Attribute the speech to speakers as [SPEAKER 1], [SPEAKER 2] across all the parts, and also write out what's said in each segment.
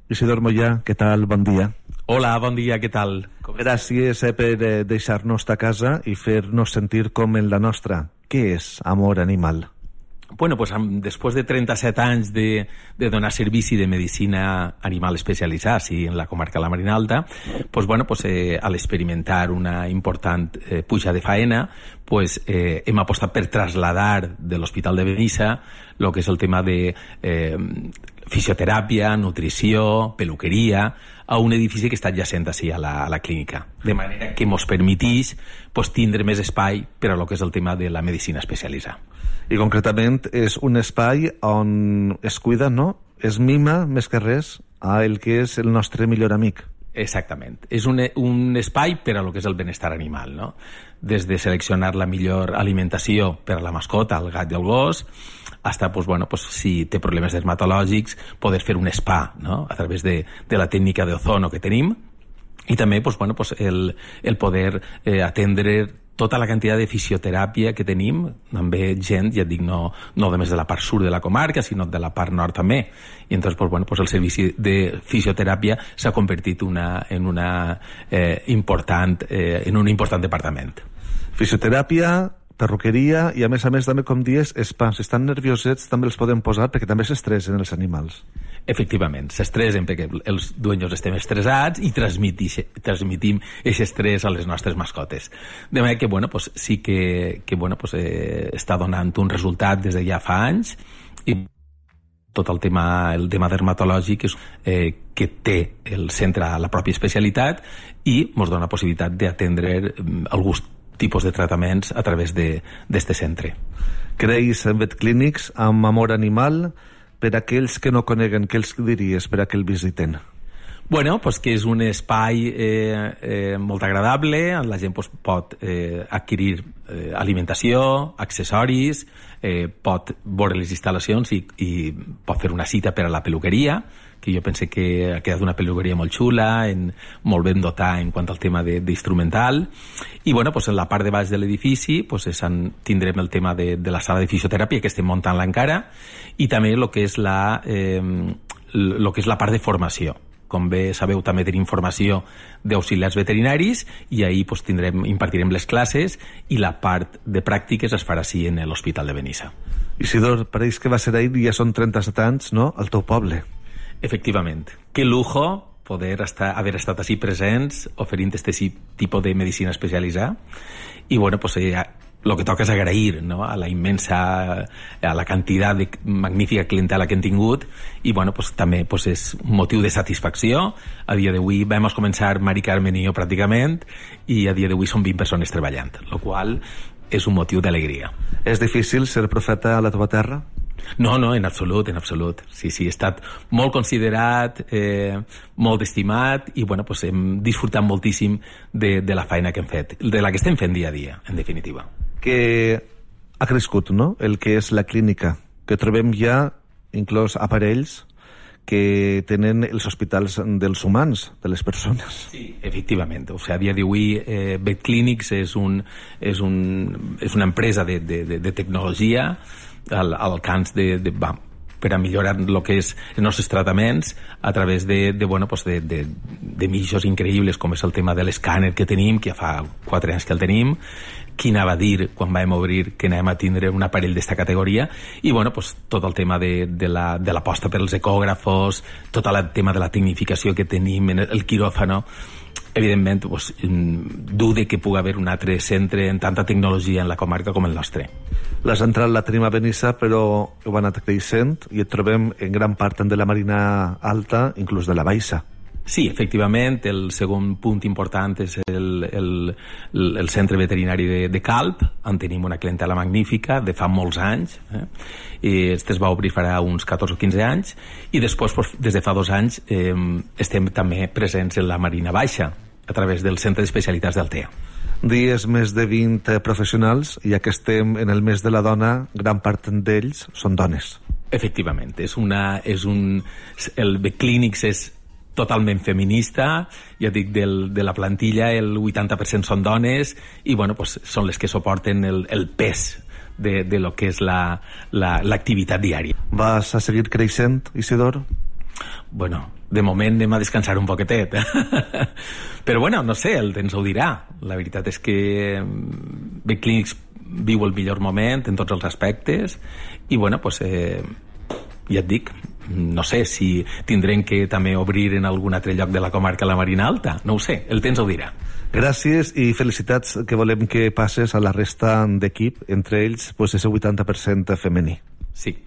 [SPEAKER 1] Isidor Mollà, què tal? Bon dia.
[SPEAKER 2] Hola, bon dia, què tal?
[SPEAKER 1] Gràcies per deixar-nos a casa i fer-nos sentir com en la nostra. Què és Amor Animal?
[SPEAKER 2] Bueno, pues después de 37 anys de donar servici de medicina animal especialitzada, sí, en la comarca de la Marina Alta, pues bueno, pues al experimentar una important puja de faena, pues hem apostat per trasladar de l'Hospital de Benissa lo que és el tema de fisioteràpia, nutrició, peluqueria, a un edifici que està adjacent així a la clínica. De manera que ens permetís pues, tindre més espai per a lo que és el tema de la medicina especialitzada.
[SPEAKER 1] I concretament és un espai on es cuida, no? Es mima, més que res, a el que és el nostre millor amic.
[SPEAKER 2] Exactament. És un espai per a lo que és el benestar animal, no? Des de seleccionar la millor alimentació per a la mascota, el gat i el gos, hasta, pues, bueno, pues, si té problemes dermatològics, poder fer un spa, no? A través de la tècnica d'ozono que tenim, i també pues, bueno, pues, el poder atendre tota la quantitat de fisioteràpia que tenim, també gent, ja et dic, no només de la part sud de la comarca, sinó de la part nord també. I entonces, pues, bueno, pues el servici de fisioteràpia s'ha convertit en un important departament.
[SPEAKER 1] Fisioteràpia, perruqueria i a més també, com dius, spa. Si estan nerviosets també els podem posar perquè també s'estressen els animals.
[SPEAKER 2] Efectivament, s'estressen perquè els dueños estem estressats i transmitim aquest estrès a les nostres mascotes. De manera que, bueno, pues, sí que bueno, pues, està donant un resultat des de ja fa anys i tot el tema dermatològic que té el centre a la pròpia especialitat i ens dona possibilitat d'atendre alguns tipus de tractaments a través d'este centre.
[SPEAKER 1] Creus vetclínics amb Amor Animal? Per a aquells que no coneguen, què els diries per a que el visiten?
[SPEAKER 2] Bueno, pues que és un espai molt agradable, la gent pues, pot adquirir alimentació, accessoris, pot veure les instal·lacions i pot fer una cita per a la peluqueria, que jo pense que ha quedat una peluqueria molt xula, molt ben dotada en quant al tema d'instrumental. I bueno, pues, en la part de baix de l'edifici pues, tindrem el tema de la sala de fisioteràpia, que estem muntant-la encara, i també el que és la part de formació. Com bé sabeu, també tenim formació d'auxiliars veterinaris i ahir pues, impartirem les classes i la part de pràctiques es farà així en l'Hospital de Benissa.
[SPEAKER 1] Isidor, pareix que va ser ahir, ja són 37 anys, no?, al teu poble.
[SPEAKER 2] Efectivament. Que lujo poder haver estat així presents oferint aquest tipus de medicina especialitzada i bueno, pues, lo que toca és agrair, no?, a la quantitat de magnífica clientela que hem tingut i bueno, pues, també pues, és un motiu de satisfacció. A dia d'avui vam començar Mari Carmen i jo pràcticament i a dia d'avui són 20 persones treballant, el qual és un motiu d'alegria.
[SPEAKER 1] És difícil ser profeta a la teva terra?
[SPEAKER 2] No, en absolut. Sí, he estat molt considerat, molt estimat i bueno, pues, hem disfrutat moltíssim de la feina que hem fet, de la que estem fent dia a dia, en definitiva.
[SPEAKER 1] Que ha crescut, no?, el que és la clínica, que trobem ja inclús aparells que tenen els hospitals dels humans, de les persones. Sí,
[SPEAKER 2] efectivament. O sigui, a dia d'avui VetClínics és una empresa de tecnologia al camp per a millorar el que és els nostres tractaments a través de mitjos increïbles com és el tema de l'escàner que tenim, que ja fa 4 anys que el tenim. Qui anava a dir quan vam obrir que anàvem a tindre un aparell d'esta categoria i bueno, pues, tot el tema de l'aposta per als ecògrafos, tot el tema de la tecnificació que tenim en el quiròfano. Evidentment, pues, dude que pugui haver un altre centre en tanta tecnologia en la comarca com el nostre.
[SPEAKER 1] La central la tenim a Benissa, però ho va anar creixent i et trobem en gran part de la Marina Alta, inclús de la Baixa.
[SPEAKER 2] Sí, efectivament, el segon punt important és el centre veterinari de Calp, on tenim una clientela magnífica de fa molts anys, i este es va obrir farà uns 14 o 15 anys, i després, des de fa 2 anys, estem també presents en la Marina Baixa, a través del Centre d'Especialitats d'Altea.
[SPEAKER 1] Dies més de 20 professionals, i ja que estem en el mes de la dona, gran part d'ells són dones.
[SPEAKER 2] Efectivament, el VetClínics és totalment feminista, ja dic, de la plantilla el 80% són dones i bueno, pues, són les que suporten el pes de lo que és l'activitat diària.
[SPEAKER 1] Vas a seguir creixent, Isidor?
[SPEAKER 2] Bueno, de moment anem a descansar un poquetet. Però bueno, no sé, el temps ho dirà. La veritat és que Betclinics viu el millor moment en tots els aspectes i bueno, pues, ja et dic, no sé si tindrem que també obrir en algun altre lloc de la comarca la Marina Alta, no ho sé, el temps ho dirà.
[SPEAKER 1] Gràcies i felicitats que volem que passes a la resta d'equip, entre ells pues, ese 80% femení.
[SPEAKER 2] Sí.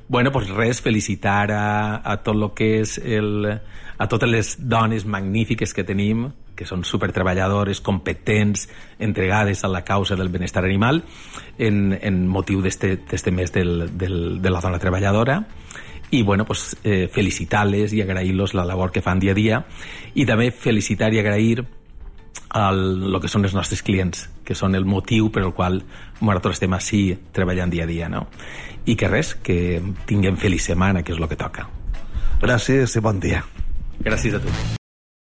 [SPEAKER 2] Bueno, pues res, felicitar a tot lo que és a totes les dones magnífiques que tenim, que són supertreballadores, competents, entregades a la causa del benestar animal, en motiu d'este mes de la dona treballadora. I bueno, pues, felicitar-les i agrair-los la labor que fan dia a dia, i també felicitar i agrair el que són els nostres clients, que són el motiu per al qual nosaltres estem així treballant dia a dia, no? I que res, que tinguem feliç setmana, que és el que toca.
[SPEAKER 1] Gràcies i bon dia.
[SPEAKER 2] Gràcies a tu.